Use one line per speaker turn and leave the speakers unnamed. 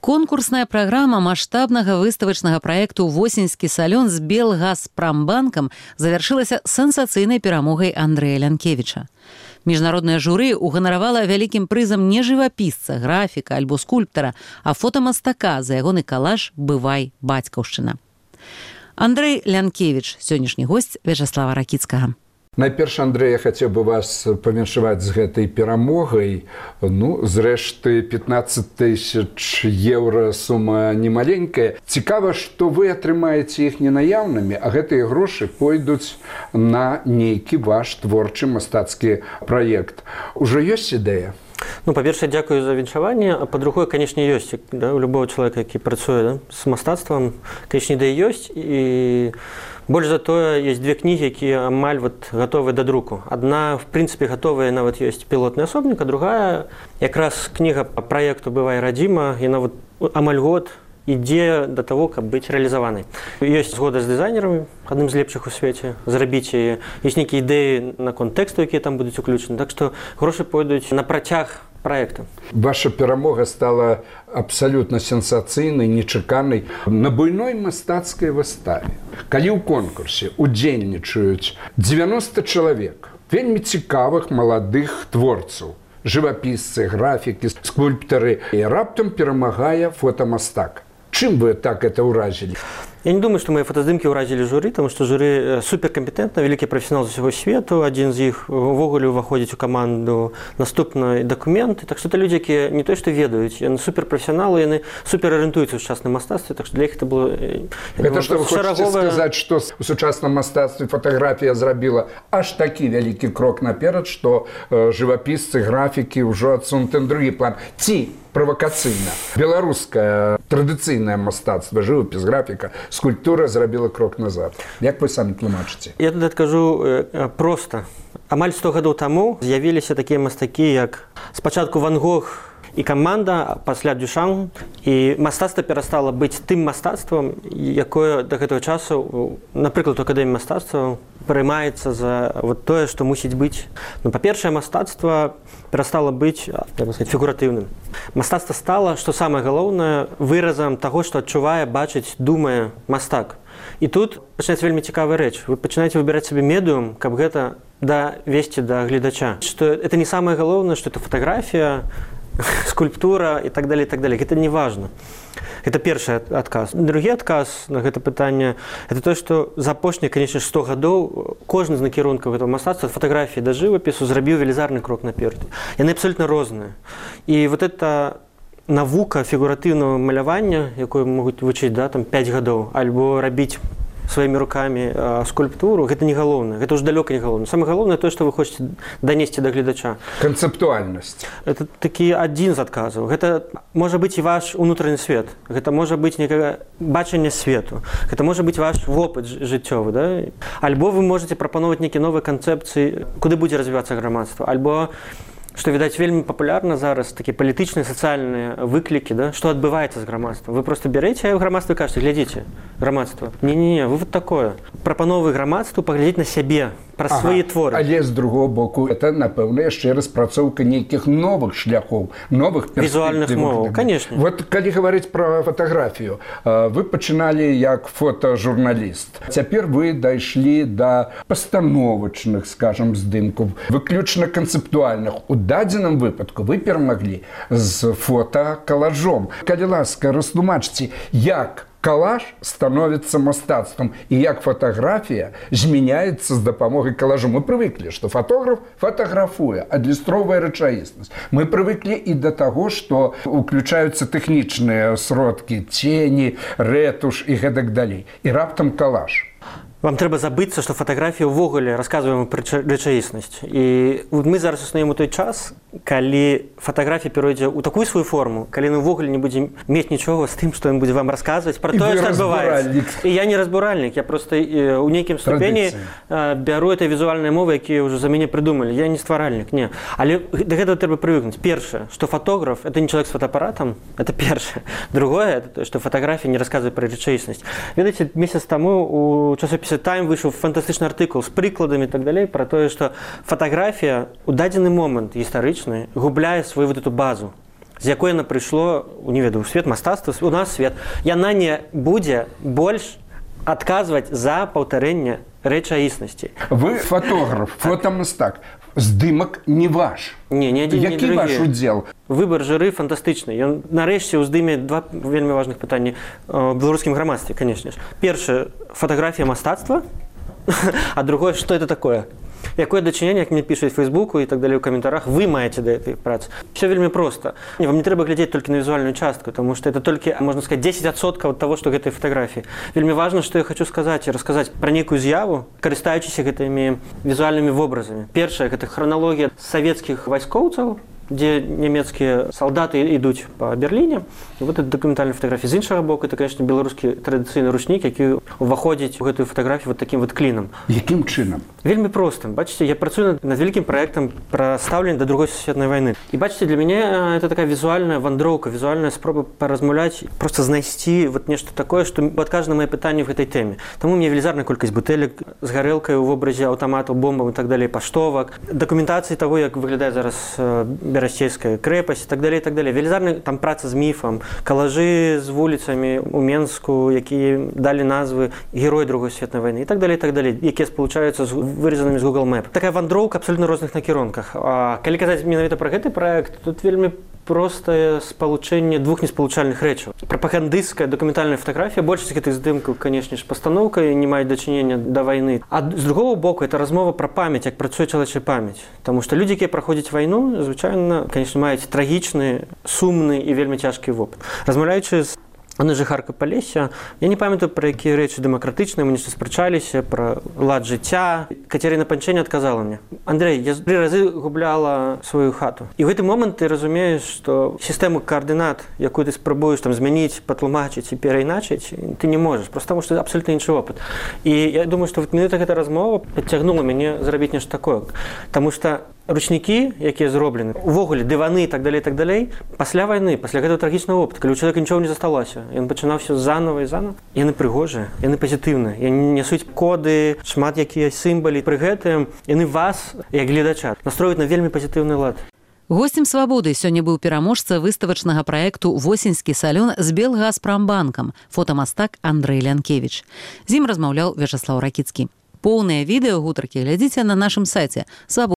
Конкурсная праграма маштабнага выставачнага праекту «Восеньскі салён» з Белгазпрамбанкам завяршылася сенсацыйнай перамогай Андрэя Лянкевіча. Міжнароднае журы уганаравала вялікім прызам не жывапісца, графіка альбо скульптара, а фотамастака за ягоны калаж «Бывай, бацькаўшчына». Андрэй Лянкевіч, сённяшні госць Вячаслава Ракіцкага.
Найперш, Андрэй, я хацеў бы вас павіншаваць з гэтай перамогай. Зрэшты, 15 000 еўра сума немаленькая. Цікава, што вы атрымаеце іх ненаяўнымі, а гэтыя грошы пойдуць на нейкі ваш творчы мастацкі праект. Ужо ёсць ідэя?
Па-першае, дзякую за віншаванне, а па-другое, канешне, ёсць. У любого чалавека, які працуе з мастацтвам, канешне, ідэя ёсць. І больш за тое, ёсць две кнігі, якія амаль гатовыя да друку. Адна, в прынцыпе, гатовая, нават ёсць пілотны асобнік, а другая, якраз кніга па праекту «Бывай, радзіма», яна амаль год ідзе да таго, каб быць рэалізаванай. Ёсць згода з дызайнерамі, адным з лепшых у свеце, зрабіць яе. Ёсць нейкія ідэі наконт тэксту, якія там будуць уключаны. Так што грошы пойдуць на працяг праекта.
Ваша перамога стала абсалютна сенсацыйнай, нечаканай на буйной мастацкай выставе. Калі ў конкурсе удзельнічаюць 90 чалавек, вельмі цікавых маладых творцаў, жывапісцы, графікі, скульптары, і раптам перамагае фотамастак. Чым вы так это ўразілі?
Я не думаю, што мае фотаздымкі ўразілі журы, таму што журы суперкампетэнтна, вялікі прафесіянал з усяго свету, адзін з іх увогуле ўваходзіць у каманду наступнай дакументы. Так што это людзі, якія не то што ведаюць, яны суперпрафесіяналы, яны суперарыентуюцца ў сучасным мастацтве, так што для іх это было
гэта што вы хочаце сказаць, што ў сучасным мастацтве фатаграфія зрабіла аж такі вялікі крок наперад, што жывапісцы, графікі ўжо адсунуты на другі план. Ці правакацыйна беларускае традыцыйнае мастацтва, жывапіс, графіка, скульптура зрабіла крок назад. Як вы самі тлумачыце?
Я тут адкажу проста. Амаль 100 гадоў таму з'явіліся такія мастакі, як спачатку Ван Гог і каманда, пасля Дюшан, і мастацтва перастала быць тым мастацтвам, якое да гэтага часу, напрыклад, у акадэміі мастацтва прымаецца за тое, што мусіць быць. Па-першае, мастацтва перастала быць фігуратыўным. Мастацтва стала, што самае галоўнае, выразам таго, што адчувае, бачыць, думае мастак. І тут пачынаецца вельмі цікавая рэч. Вы пачынаеце выбіраць сабе медыум, каб гэта давесці да гледача. Што это не самае галоўнае, што это фатаграфія, скульптура і так далее, і так далее. Гэта не важна. Это першы адказ. Другі адказ на гэта пытанне – это то, што за апошнія, канечне, 100 гадоў кожны з накірункаў гэтага мастацтва, ад фатаграфіі да жывапісу, зрабіў велізарны крок наперад. Яны абсолютна розныя. І эта навука фігуратыўнага малявання, якую могуць вучыць 5 гадоў, альбо рабіць сваімі рукамі скульптуру, гэта не галоўнае, гэта ўжо далёка не галоўнае. Самае галоўнае тое, што вы хочаце данесці да гледача.
Канцэптуальнасць.
Это такі адзін з адказаў. Гэта можа быць і ваш унутраны свет, гэта можа быць некае бачанне свету, гэта можа быць ваш вопыт жыццёвы, да? Альбо вы можаце прапановаць нейкія новыя канцэпцыі, куды будзе развівацца грамадства, альбо што, відаць, вельмі папулярна зараз, такія палітычныя, сацыяльныя выклікі, да? Што адбываецца з грамадствам. Вы проста бярэце грамадства і кажаце, глядзіце, грамадства. Не-не-не, вы такое. Прапановы грамадству паглядзець на сябе, праз свае творы.
Але з другого боку, это, напэўна, яшчэ распрацоўка нейкіх новых шляхоў, новых перспектыў.
Візуальных моваў, канешне.
Вот калі гаварыць пра фатаграфію, вы пачыналі як фотажурналіст. Цяпер вы дайшлі да пастановачных, скажам, здымкаў, выключна канцэптуальных. У дадзеным выпадку вы перамаглі з фотакалажом. Калі ласка, растлумачце, як калаж становіцца мастацтвам і як фатаграфія змяняецца з дапамогай калажу. Мы прывыклі, што фотограф фатаграфуе, адлюстроўвае рэчаіснасць. Мы прывыклі і да таго, што уключаюцца тэхнічныя сродкі, цені, рэтуш і гэтак далей. І раптам калаж.
Вам трэба забыцца, што фатаграфія ўвогуле расказваем пра рэчаіснасць. І мы зараз існуем у той час, калі фатаграфія перайдзе ў такую сваю форму, калі мы ўвогуле не будзем мець нічога з тым, што ён будзе вам расказваць пра тое, што адбываецца. І я не разбуральнік, я проста ў нейкім ступені бяру этой візуальнай мовы, якія ўжо за мяне прыдумалі. Я не стваральнік, не. Але да гэтага трэба прывыкнуць. Першае, што фотограф – это не чалавек з фотоапаратам, это першае. Другое – это што фатаграфія не расказвае пра рэчаіснасць. Ведаеце, месяц таму у часопісе Time выйшаў фантастычны артыкул з прыкладамі і так далей пра тое, што фатаграфія ў дадзены момант гістарычны губляе сваю эту базу. з якой яна прыйшло, не ведаю, свет мастацтва, у нас свет, яна не будзе больш адказваць за паўтарэнне рэчаіснасці.
Вы фотограф, фотамастак. Здымак не ваш.
Не адзін, не другі.
Які ваш удзел?
Выбар журы фантастычны. Ён нарэшце ўздыме два вельмі важных пытанні ў беларускім грамадстве, канешне ж. Першае, фотаграфія мастацтва, а другое, што это такое? Якое дачыненне, як мне пішуць в Фейсбуку і так далее ў каментарах, вы маеце да гэтай працы. Все вельмі проста. Вам не трэба глядзець толькі на візуальную частку, тому што это толькі, можна сказаць, 10% ад таго, што гэтай фатаграфіі. Вельмі важна, што я хочу сказаць і расказаць пра нейкую з'яву, карыстаючыся гэтымі візуальнымі вобразамі. Першае, гэта храналогія савецкіх вайскоўцаў, дзе нямецкія салдаты ідуць па Берліне. І вот это дакументальная фотаграфія. З іншага боку, это, конечно, беларускі традыцыйны ручнік, які ўваходзіць у гэтую фатаграфію вот таким вот клінам.
Якім чынам?
Вельмі проста. Бачыце, я працую над вялікім праектам пра стаўленне да другой сусветнай вайны. І бачыце, для мяне это такая візуальная вандроўка, візуальная спроба паразмаўляць, проста знайсці вот нешта такое, што адкажа на мае пытанні в гэтай тэме. Таму у мяне велізарная колькасць бутэлек з гарэлкай у вобразе аўтаматаў, бомбаў і так далее, паштовак, дакументацыі таго, як выглядае зараз Берасцейская крэпасць і так далее, і так далее. Велізарная там праца з міфам, калажы з вуліцамі ў Менску, якія далі назвы герой другой светнай вайны і так далее, якія спалучаюцца з вырезанымі з Google Map. Такая вандроўка абсолютно розных накірунках. А калі казаць менавіта пра гэты праект, тут вельмі простае спалучэнне двух неспалучальных рэчаў. Прапагандысцкая дакументальная фотаграфія, большасць гэтых здымкаў, канешне ж, пастаноўкай не маюць дачынення да вайны. А з другого боку, это размова пра памяць, як працуе чалавечая памяць. Таму што людзі, якія праходзяць вайну, звычайна, канешне, маюць трагічны, сумны і вельмі цяжкі вопыт. Размаўляючы з Анной Жыхаркай Палесся, я не памятаю, пра якія рэчы дэмакратычныя, мы нешта спрачаліся, пра лад жыцця. Кацярына Панчэня адказала мне: «Андрэй, я 3 разы губляла сваю хату». І ў гэты момант ты разумееш, што сістэму каардынат, якую ты спрабуеш там змяніць, патлумачыць і перайначыць, ты не можаш, проста таму што абсалютна іншы опыт. І я думаю, што менавіта гэта размова падцягнула мяне зрабіць нешта такое. Таму што ручнікі, якія зроблены, увогуле дываны і так далей, пасля вайны, пасля гэтага трагічнага опыту, калі ў чалавека нічога не засталося, ён пачынаў все заново і заново, яны прыгожыя, яны пазітыўныя, яны нясуць коды, шмат якія сімвалы, пры гэтым яны вас, як гледача, настройваюць на вельмі пазітыўны лад.
Госцем «Свабоды» сёння быў пераможца выставачнага праекту «Восеньскі салён» з Белгазпрамбанкам, фотамастак Андрэй Лянкевіч. З ім размаўляў Вячаслаў Ракіцкі. Поўнае відэа гутаркі глядзіце на нашым сайце